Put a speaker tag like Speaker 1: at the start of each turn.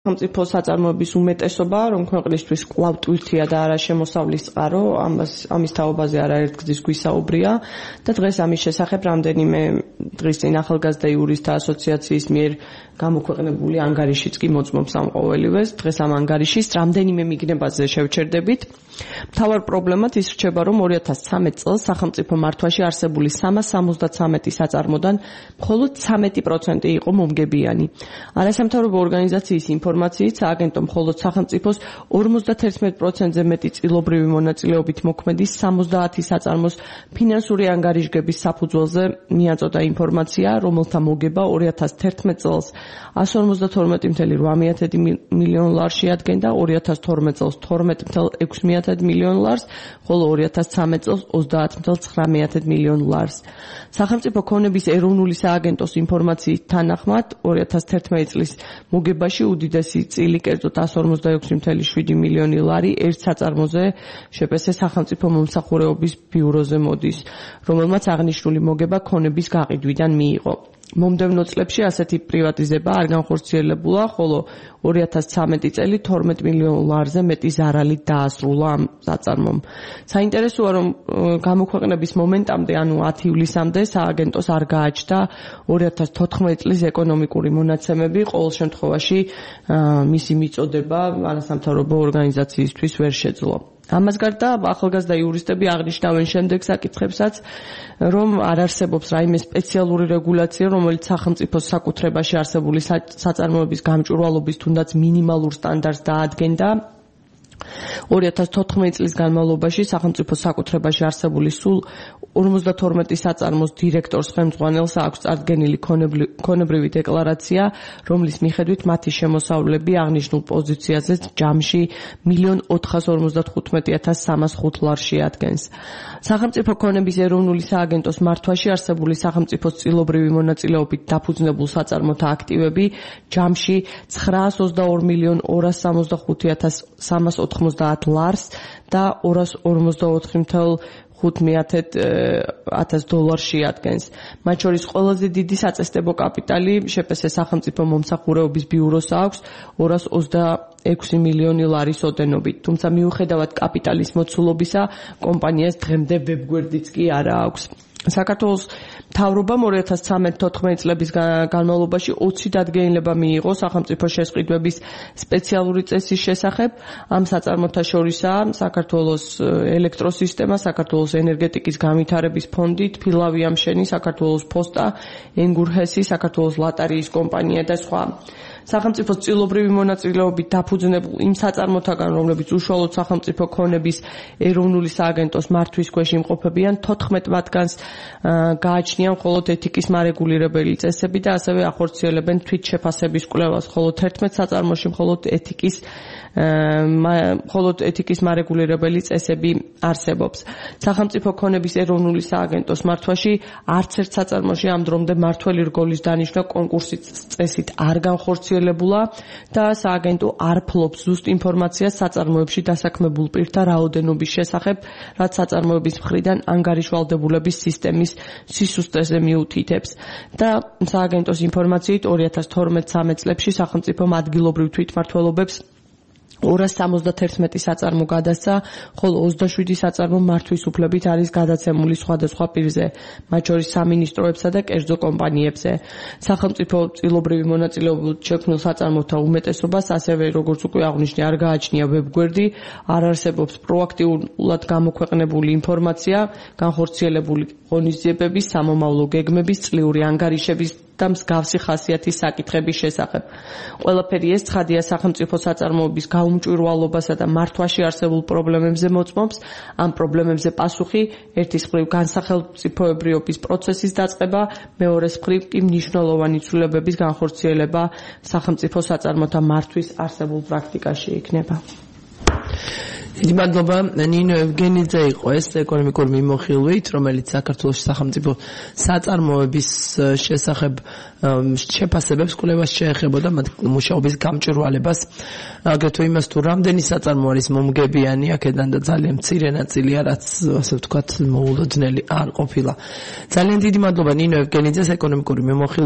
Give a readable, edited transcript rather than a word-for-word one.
Speaker 1: სახელმწიფო საწარმოების უმეტესობა, რომ ქვეყნისთვის კვლავ ტვირთია და არა შემოსავლის წყარო, ამის თაობაზე არაერთგზის გვისაუბრია და დღეს ამის შესახებ რამდენიმე დღის წინ ახალგაზრდა იურისტთა ასოციაციის მიერ გამოქვეყნებული ანგარიშიც კი მოწმობს ამ ყოველივეს. დღეს ამ ანგარიშის რამდენიმე მიგნებაზე შევჩერდებით. მთავარ პრობლემად ის რჩება, რომ 2013 წელს სახელმწიფო მართვაში არსებული 373 საწარმოდან მხოლოდ 13% იყო მომგებიანი. არასამთავრობო ორგანიზაციის ინფორმაციით სააგენტო მხოლოდ სახელმწიფოს 51%-ზე მეტი წილობრივი მონაწილეობით მოქმედი 70 საწარმოს ფინანსური ანგარიშგების საფუძველზე მიაწოდა ინფორმაცია, რომელთა მოგება 2011 წელს 152.8 მილიონ ლარში ადგენდა, 2012 წელს 12.6 მილიონ ლარს, ხოლო 2013 წელს 30.9 მილიონ ლარს. სახელმწიფო ქონების ეროვნული სააგენტოს ინფორმაციით თანახმად 2011 წლის მოგებაში უდიდესი წილი კერძოდ 146.7 მილიონი ლარი ერთ საწარმოზე შპს სახელმწიფო მომსახურების ბიუროზე მოდის, რომელმაც აღნიშნული მოგება ქონების გაყიდვიდან მიიღო. მომდევნო წლებში ასეთი პრივატიზება არ განხორციელებულა, ხოლო 2013 წელი 12 მილიონ ლარზე მეტი ზარალით დაასრულა ამ საწარმომ. საინტერესოა, რომ გამოქვეყნების მომენტამდე, ანუ 10 ივლისამდე სააგენტოს არ გააჩნდა 2014 წლის ეკონომიკური მონაცემები, ყოველ შემთხვევაში მისი მიწოდება არასამთავრობო ორგანიზაციისთვის ვერ შეძლო. ამას გარდა ახალგაზრდა იურისტები აღნიშნავენ შემდეგ საკითხებსაც, რომ არ არსებობს რაიმე სპეციალური რეგულაცია, რომელიც სახელმწიფოს საკუთრებაში არსებული საწარმოების გამჭვირვალობის თუნდაც მინიმალურ სტანდარტს დაადგენდა. 2014 წლის განმავლობაში სახელმწიფო საკუთრებაში არსებული სულ 52 საწარმოს დირექტორს ხელმძღვანელს აქვს წარდგენილი ქონებრივი დეკლარაცია, რომლის მიხედვით მათი შემოსავლები აღნიშნულ პოზიციაზე ჯამში 1.455.305 ლარში ადგენს. სახელმწიფო ქონების ეროვნული სააგენტოს მართვაში არსებული სახელმწიფოს წილობრივი მონაწილეობით დაფუძნებულ საწარმოთა აქტივები ჯამში 902.265.390 ლარს და 244.5 დოლარში ადგენს. მათ შორის ყველაზე დიდი საწესდებო კაპიტალი შპს სახელმწიფო მომსახურების ბიუროს აქვს 226 მილიონი ლარის ოდენობით. თუმცა მიუხედავად კაპიტალის მოცულობისა, კომპანიას დღემდე ვებგვერდიც კი არა აქვს. საქართველოს მთავრობამ 2013-14 წლების განმავლობაში 20 დადგენილება მიიღო სახელმწიფო შესყიდვების სპეციალური წესის შესახებ. ამ საწარმოთა შორისაა საქართველოს ელექტროსისტემა, საქართველოს ენერგეტიკის განვითარების ფონდი, თბილავი ამშენი, საქართველოს პოსტა, ენგურჰესი, საქართველოს ლატარიის კომპანია და სხვა. სახელმწიფოს წილობრივი მონაწილეობით დაფუძნებულ იმ საწარმოთაგან, რომლებიც უშუალოდ სახელმწიფო ქონების ეროვნული სააგენტოს მართვის ქვეშ იმყოფებიან, 14 მათგანს გააჩნიან მხოლოდ ეთიკის მარეგულირებელი წესები და ასევე ახორციელებენ თვითშეფასების კვლევას, ხოლო 11 საწარმოში მხოლოდ ეთიკის მარეგულირებელი წესები არსებობს. სახელმწიფო ქონების ეროვნული სააგენტოს მართვაში არც ერთ საწარმოში ამ დრომდე მართველი რგოლის დანიშვნა კონკურსის წესით არ განხორციელებულა და სააგენტო არ ფლობს ზუსტ ინფორმაციას საწარმოებში დასაქმებულ პირთა რაოდენობის შესახებ, რაც საწარმოების მხრიდან ანგარიშვალდებულების სისტემის სისუსტეზე მიუთითებს. და სააგენტოს ინფორმაციით 2012-13 წლებში სახელმწიფომ ადგილობრივ თვითმმართველობებს 271 საწარმო გადასცა, ხოლო 27 საწარმო მართვის უფლებით არის გადაცემული სხვადასხვა პირზე, მათ შორის სამინისტროებსა და კერძო კომპანიებზე. სახელმწიფო წილობრივი მონაწილეობით შექმნილ საწარმოთა უმეტესობას, ასევე როგორც უკვე აღვნიშნე, არ გააჩნია ვებგვერდი, არ არსებობს პროაქტიულად გამოქვეყნებული ინფორმაცია, განხორციელებული ღონისძიებების, სამომავლო გეგმების, წლიური ანგარიშების და მსგავსი ხასიათის საკითხების შესახებ. ყველაფერი ეს ცხადია სახელმწიფო საწარმოების გაუმჭვირვალობასა და მართვაში არსებულ პრობლემებზე მოწმობს. ამ პრობლემებზე პასუხი ერთის მხრივ განსახელმწიფოებრიობის პროცესის დაწყება, მეორეს მხრივ კი მნიშვნელოვანი ცვლილებების განხორციელება სახელმწიფო საწარმოთა მართვის არსებულ პრაქტიკაში იქნება.
Speaker 2: დიდი მადლობა ნინო ევგენიძე იყო ეს ეკონომიკური მიმოხილვით, რომელიც საქართველოს სახელმწიფო საწარმოების შესახებ შეფასებებს კვლევას შეეხებოდა მათ მუშაობის გამჭვირვალებას, აგრეთვე იმას თუ რამდენი საწარმო არის მომგებიანი აქედან და ძალიან მცირე ნაწილია, რაც ასე ვთქვათ მოულოდნელი არ ყოფილა. ძალიან დიდი მადლობა ნინო ევგენიძეს ეკონომიკური მიმოხილვით.